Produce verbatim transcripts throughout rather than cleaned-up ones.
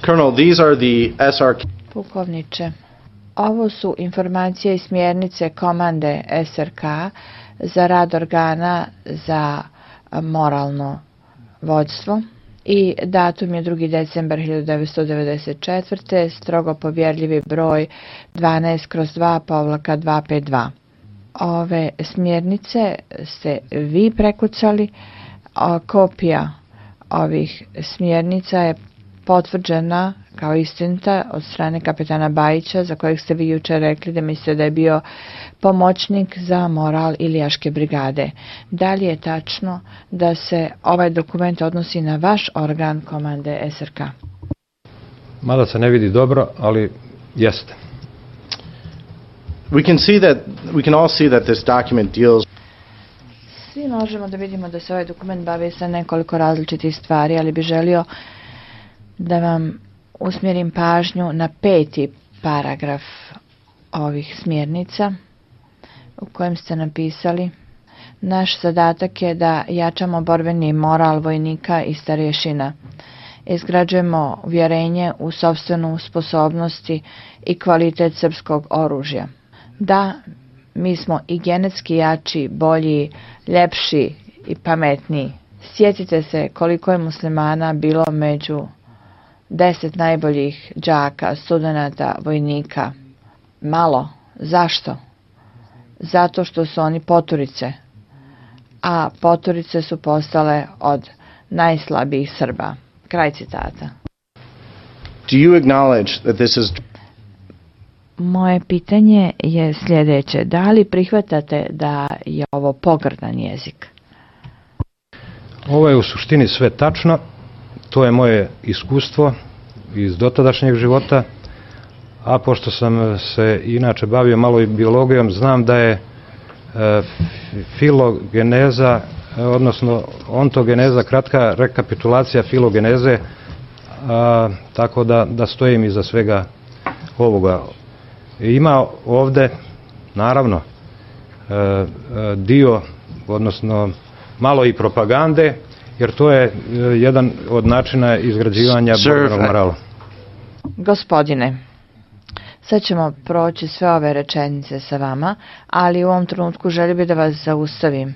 Colonel, these are the S R K. Pukovniče, ovo su informacije i smjernice komande S R K za rad organa za moralno vođstvo i datum je drugi decembar hiljadu devetsto devedeset četvrte. strogo povjerljivi broj dvanaest kroz dva povlaka dvesta pedeset dva. Ove smjernice ste vi prekucali, a kopija ovih smjernica je potvrđena kao istinita od strane kapetana Bajića, za kojeg ste vi jučer rekli da mislite da je bio pomoćnik za moral Ilijaške brigade. Da li je tačno da se ovaj dokument odnosi na vaš organ komande S R K? Mada se ne vidi dobro, ali jeste. We can see that we can all see that this document deals. Svi možemo da vidimo da se ovaj dokument bavi sa nekoliko različitih stvari, ali bi želio da vam usmjerim pažnju na peti paragraf ovih smjernica u kojem ste napisali: naš zadatak je da jačamo borbeni moral vojnika i starješina. Izgrađujemo uvjerenje u sopstvenu sposobnosti i kvalitet srpskog oružja. Da, mi smo i genetski jači, bolji, ljepši i pametniji. Sjetite se koliko je muslimana bilo među deset najboljih đaka, studenata, vojnika. Malo. Zašto? Zato što su oni poturice, a poturice su postale od najslabijih Srba. Kraj citata. Do you acknowledge that this is... Moje pitanje je sljedeće: da li prihvatate da je ovo pogrdan jezik? Ovo je u suštini sve tačno. To je moje iskustvo iz dotadašnjeg života, a pošto sam se inače bavio malo i biologijom, znam da je e, filogeneza, odnosno ontogeneza, kratka rekapitulacija filogeneze, a, tako da, da stojim iza svega ovoga. Ima ovde, naravno, e, e, dio, odnosno malo i propagande, jer to je jedan od načina izgrađivanja borbenog morala. Gospodine, sad ćemo proći sve ove rečenice sa vama, ali u ovom trenutku želim bi da vas zaustavim.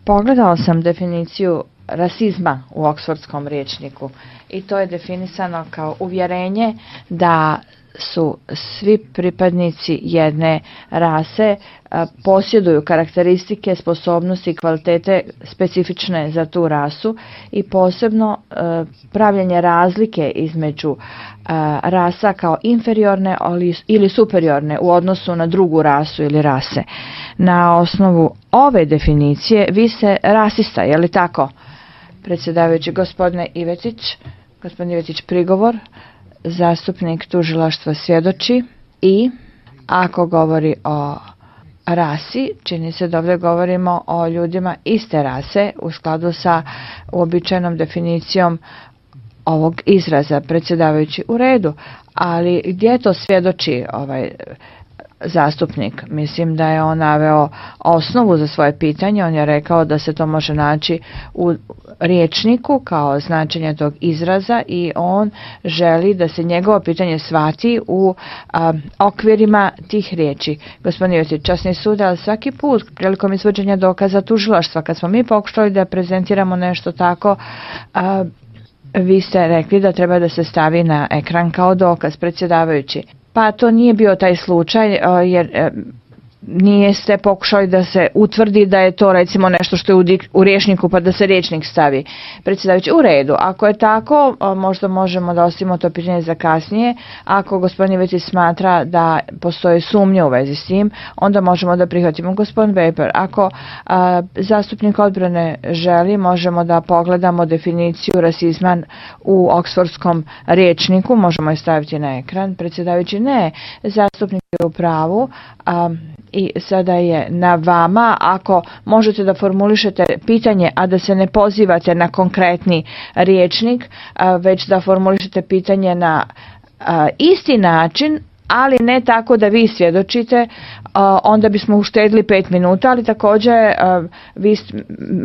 Pogledao sam definiciju rasizma u Oksfordskom rječniku i to je definisano kao uvjerenje da su svi pripadnici jedne rase a, posjeduju karakteristike, sposobnosti i kvalitete specifične za tu rasu i posebno a, pravljenje razlike između a, rasa kao inferiorne ili superiorne u odnosu na drugu rasu ili rase. Na osnovu ove definicije vi ste rasista, je li tako? Predsjedavajući, gospodine Ivetić, gospodin Ivetić, prigovor. Zastupnik tužilaštva svjedoči i ako govori o rasi, čini se da ovdje govorimo o ljudima iste rase u skladu sa uobičajenom definicijom ovog izraza. Predsjedavajući, u redu, ali gdje to svjedoči ovaj zastupnik? Mislim da je on naveo osnovu za svoje pitanje. On je rekao da se to može naći u riječniku kao značenje tog izraza i on želi da se njegovo pitanje shvati u a, okvirima tih riječi. Gospodin Josić, časni sud, ali svaki put prilikom izvođenja dokaza tužilaštva, kad smo mi pokušali da prezentiramo nešto tako, a, vi ste rekli da treba da se stavi na ekran kao dokaz. Predsjedavajući, pa to nije bio taj slučaj, jer nije ste pokušali da se utvrdi da je to recimo nešto što je u, dik, u rječniku pa da se rječnik stavi. Predsjedavajući, u redu, ako je tako, možda možemo da ostavimo to pitanje za kasnije. Ako gospodin Ivetić smatra da postoje sumnje u vezi s tim, onda možemo da prihvatimo. Gospodin Weber, ako a, zastupnik odbrane želi, možemo da pogledamo definiciju rasizma u Oksfordskom rječniku, možemo je staviti na ekran. Predsjedavajući, ne, zastupnik je u pravu, a, i sada je na vama, ako možete da formulišete pitanje, a da se ne pozivate na konkretni rječnik, već da formulišete pitanje na isti način, ali ne tako da vi svjedočite, onda bismo uštedili pet minuta, ali također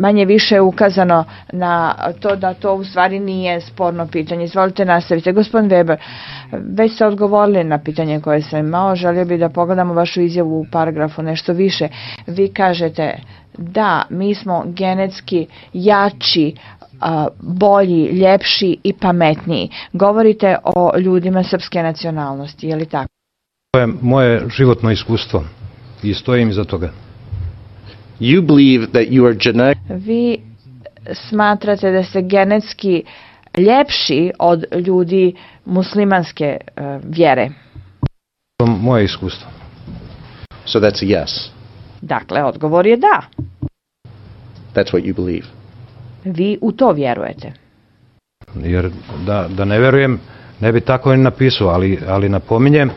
manje više je ukazano na to da to u stvari nije sporno pitanje. Izvolite, nastavite. Gospodin Weber, već ste odgovorili na pitanje koje sam imao, želio bih da pogledamo vašu izjavu u paragrafu nešto više. Vi kažete da mi smo genetski jači, bolji, ljepši i pametniji. Govorite o ljudima srpske nacionalnosti, je li tako? To je moje životno iskustvo i stojim iza toga. You believe that you are genetic... Vi smatrate da ste genetski ljepši od ljudi muslimanske uh, vjere. To je moje iskustvo. So that's a yes. Dakle, odgovor je da. That's what you believe. Vi u to vjerujete. Jer da, da ne vjerujem, ne bi tako ni napisao, ali, ali napominjem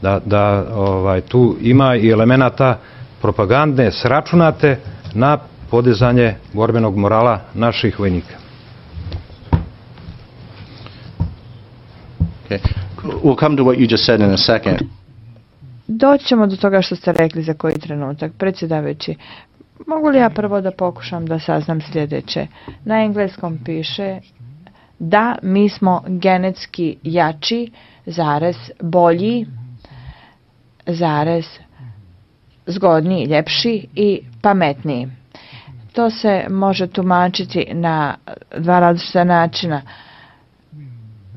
da, da ovaj, tu ima i elemenata propagandne sračunate na podizanje borbenog morala naših vojnika. Okay. We'll come to what you just said in a second. Doći ćemo do toga što ste rekli za koji trenutak. Predsjedavajući, mogu li ja prvo da pokušam da saznam sljedeće? Na engleskom piše da mi smo genetski jači, zarez, bolji, zarez, zgodniji, ljepši i pametniji. To se može tumačiti na dva različita načina.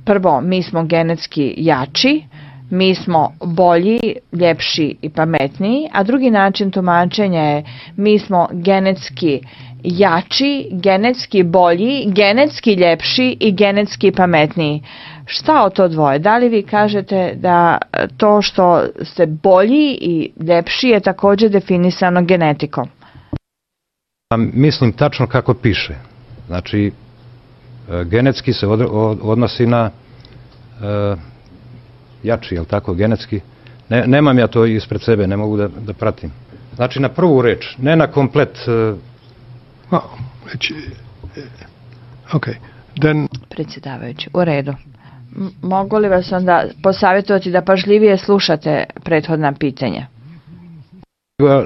Prvo, mi smo genetski jači, mi smo bolji, ljepši i pametniji, a drugi način tumačenja je mi smo genetski jači, genetski bolji, genetski ljepši i genetski pametniji. Šta o to dvoje? Da li vi kažete da to što ste bolji i ljepši je također definisano genetikom? Mislim tačno kako piše. Znači, genetski se odnosi na uh, jači, jel tako, genetski. Ne, nemam ja to ispred sebe, ne mogu da, da pratim. Znači, na prvu reč, ne na komplet... Uh, oh, ok, then... Predsjedavajući, u redu. M- mogu li vas onda posavjetovati da pažljivije slušate prethodna pitanja?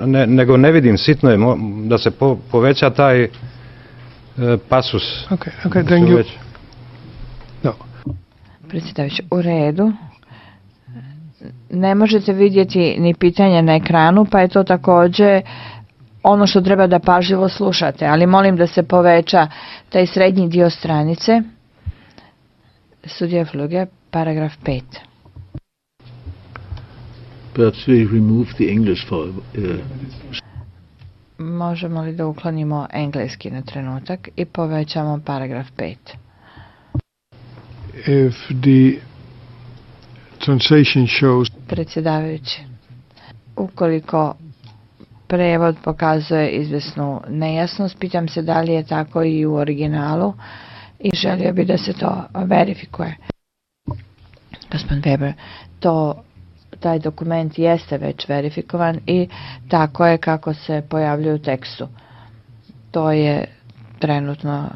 Ne, nego ne vidim, sitno je da se po, poveća taj e, pasus. Okay, okay, then you... no. Predsjedavajući, u redu. Ne možete vidjeti ni pitanje na ekranu, pa je to također ono što treba da pažljivo slušate, ali molim da se poveća taj srednji dio stranice. Sudija Fluge, paragraf pet. Perhaps we remove the English for... Uh... Možemo li da uklonimo engleski na trenutak i povećamo paragraf pet? If the translation shows... Predsjedavajući, ukoliko prevod pokazuje izvesnu nejasnost, pitam se da li je tako i u originalu i želio bi da se to verifikuje. Gospodin Weber, to, taj dokument jeste već verifikovan i tako je kako se pojavljuje u tekstu. To je trenutno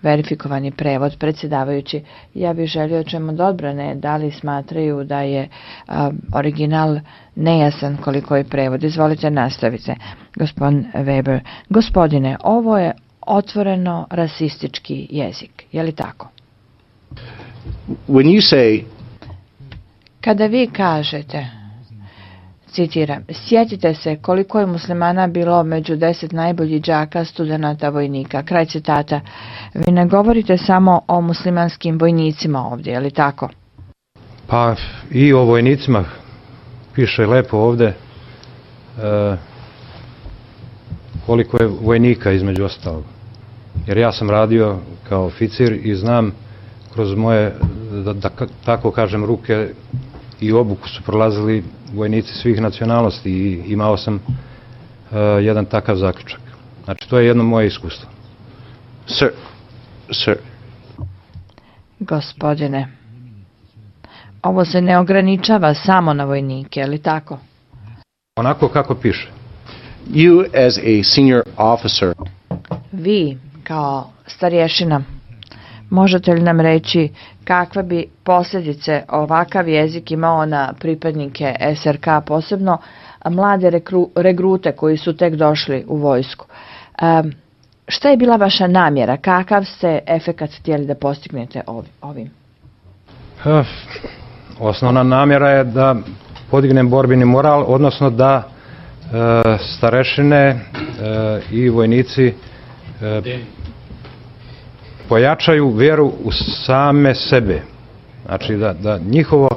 verifikovani prevod. Predsjedavajući, ja bih želio čemu od odbrane da li smatraju da je a, original nejasan koliko je prevod. Izvolite, nastavite. Gospodin Weber, gospodine, ovo je otvoreno rasistički jezik. Je li tako? When you say... Kada vi kažete, citiram, sjetite se koliko je muslimana bilo među deset najboljih đaka, studenata, vojnika. Kraj citata. Vi ne govorite samo o muslimanskim vojnicima ovdje, je li tako? Pa i o vojnicima piše lepo ovdje e, koliko je vojnika između ostalog. Jer ja sam radio kao oficir i znam kroz moje, da, da tako kažem, ruke i obuku su prolazili vojnici svih nacionalnosti i imao sam uh, jedan takav zaključak. Znači, to je jedno moje iskustvo. Sir, sir. Gospodine, ovo se ne ograničava samo na vojnike, je li tako? Onako kako piše. You as a senior officer. Vi, kao starješina, Možete li nam reći kakve bi posljedice ovakav jezik imao na pripadnike S R K, posebno mlade rekru, regrute koji su tek došli u vojsku? Um, šta je bila vaša namjera? Kakav ste efekat htjeli da postignete ovim? Uh, osnovna namjera je da podignem borbeni moral, odnosno da uh, starešine uh, i vojnici uh, pojačaju vjeru u same sebe. Znači da, da njihovo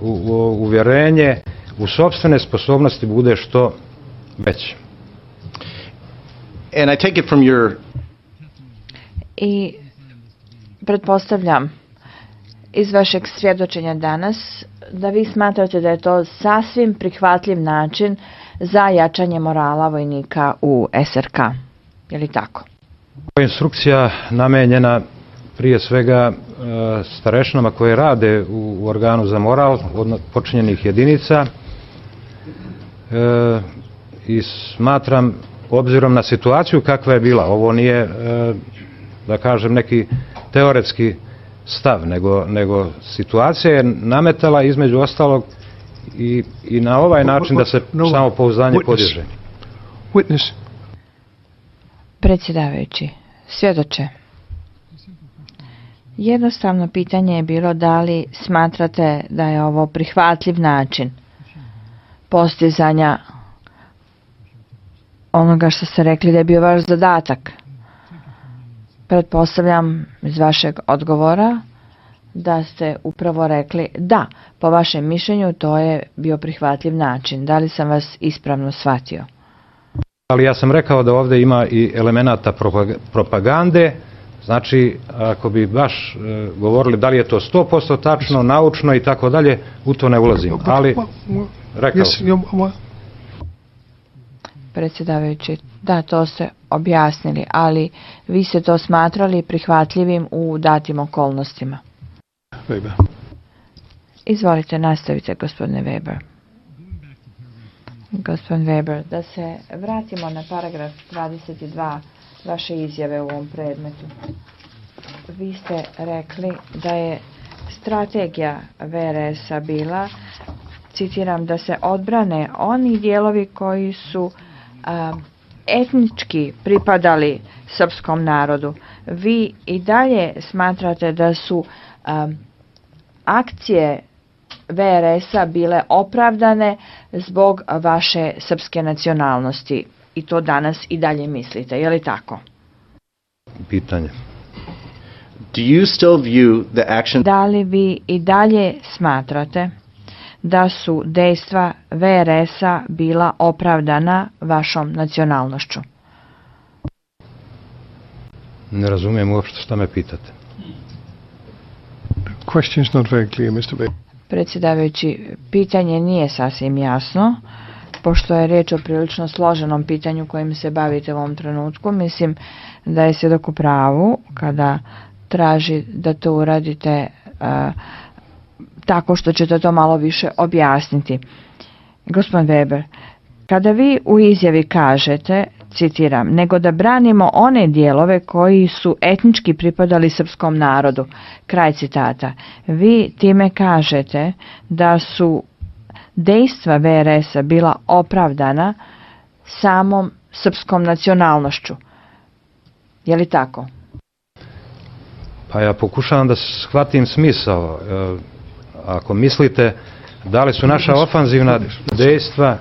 u, u, uvjerenje u sopstvene sposobnosti bude što veće. And I take it from your... I pretpostavljam iz vašeg svjedočenja danas da vi smatrate da je to sasvim prihvatljiv način za jačanje morala vojnika u S R K. Je li tako? Instrukcija namenjena prije svega starešinama koje rade u, u organu za moral od počinjenih jedinica e, i smatram, obzirom na situaciju kakva je bila, ovo nije e, da kažem neki teoretski stav, nego, nego situacija je nametala između ostalog i, i na ovaj način da se samopouzdanje podiže. Witness. Predsjedavajući, svjedoče, jednostavno pitanje je bilo da li smatrate da je ovo prihvatljiv način postizanja onoga što ste rekli da je bio vaš zadatak. Pretpostavljam iz vašeg odgovora da ste upravo rekli da, po vašem mišljenju to je bio prihvatljiv način. Da li sam vas ispravno shvatio? Ali ja sam rekao da ovdje ima i elemenata propagande, znači ako bi baš e, govorili da li je to sto posto tačno, naučno i tako dalje, u to ne ulazim. Ali rekao sam. Predsjedavajući, da, to ste objasnili, ali vi ste to smatrali prihvatljivim u datim okolnostima. Weber. Izvolite, nastavite, gospodine Weber. Gospodin Weber, da se vratimo na paragraf dvadeset dva vaše izjave u ovom predmetu. Vi ste rekli da je strategija V R S-a bila, citiram, da se odbrane oni dijelovi koji su a, etnički pripadali srpskom narodu. Vi i dalje smatrate da su a, akcije V R S-a bile opravdane zbog vaše srpske nacionalnosti i to danas i dalje mislite, je li tako? Pitanje. Do you still view the action... Da li vi i dalje smatrate da su dejstva V R S-a bila opravdana vašom nacionalnošću? Ne razumijem uopšte šta me pitate. The question is not very clear, mister Weber. Predsjedavajući, pitanje nije sasvim jasno, pošto je riječ o prilično složenom pitanju kojim se bavite u ovom trenutku. Mislim da je svjedok u pravu kada traži da to uradite uh, tako što ćete to malo više objasniti. Gospodin Weber, kada vi u izjavi kažete, citiram, nego da branimo one dijelove koji su etnički pripadali srpskom narodu, kraj citata, vi time kažete da su dejstva V R S-a bila opravdana samom srpskom nacionalnošću. Je li tako? Pa ja pokušavam da shvatim smisao. Ako mislite da li su naša ofanzivna dejstva